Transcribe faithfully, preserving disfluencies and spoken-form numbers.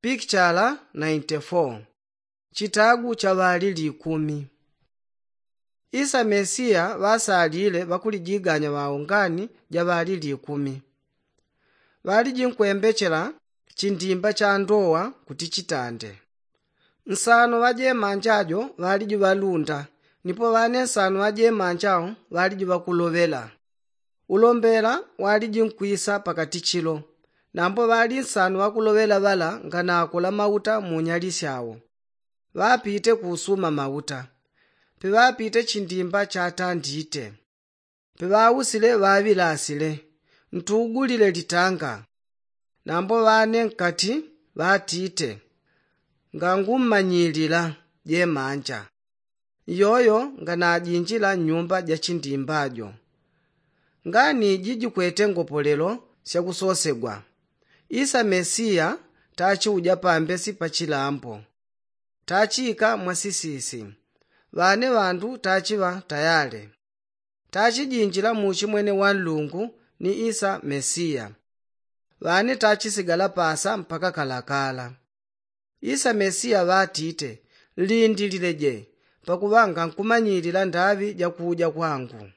Pikichala nainti fo. Chitagu cha ŵalili ikumi. Isa mesiya ŵasalile ŵakulijiganya ŵao ngani ja ŵalili ikumi. Ŵaliji nkwembechela chindimba cha ndowa kuti chitande. Nsano ŵa jemanja jo ŵaliji ŵalunda, nipo ŵane nsano ŵa jemanja wo ŵaliji ŵakuloŵela. Ulombela waliji nkwisa pakati chilo. Nambo ŵali nsano ŵakuloŵela ŵala nganakola mauta mu nyali syao. Ŵapite kusuma mauta. Piŵapite chindimba chatandite. Piŵausile ŵaŵilasile, ntugulile litanga. Nambo ŵane nkati ŵatite, ngangummanyilila jemanja. Iyoyo nganajinjila nnyumba ja chindimba jo. Ngani iji jikwete ngopolelo syakusosegwa. Isa mesiya tachiuja pambesi pa chilambo. Tachika mwasisisi. Ŵane ŵandu tachiŵa tayale. Tachijinjila muchi mwene wa nlungu ni isa mesiya. Ŵane tachisigala pasa mpaka kalakala. Isa mesiya ŵatite, nlindilile je, pakuŵa ngankumanyilila ndaŵi ja kuuja kwangu.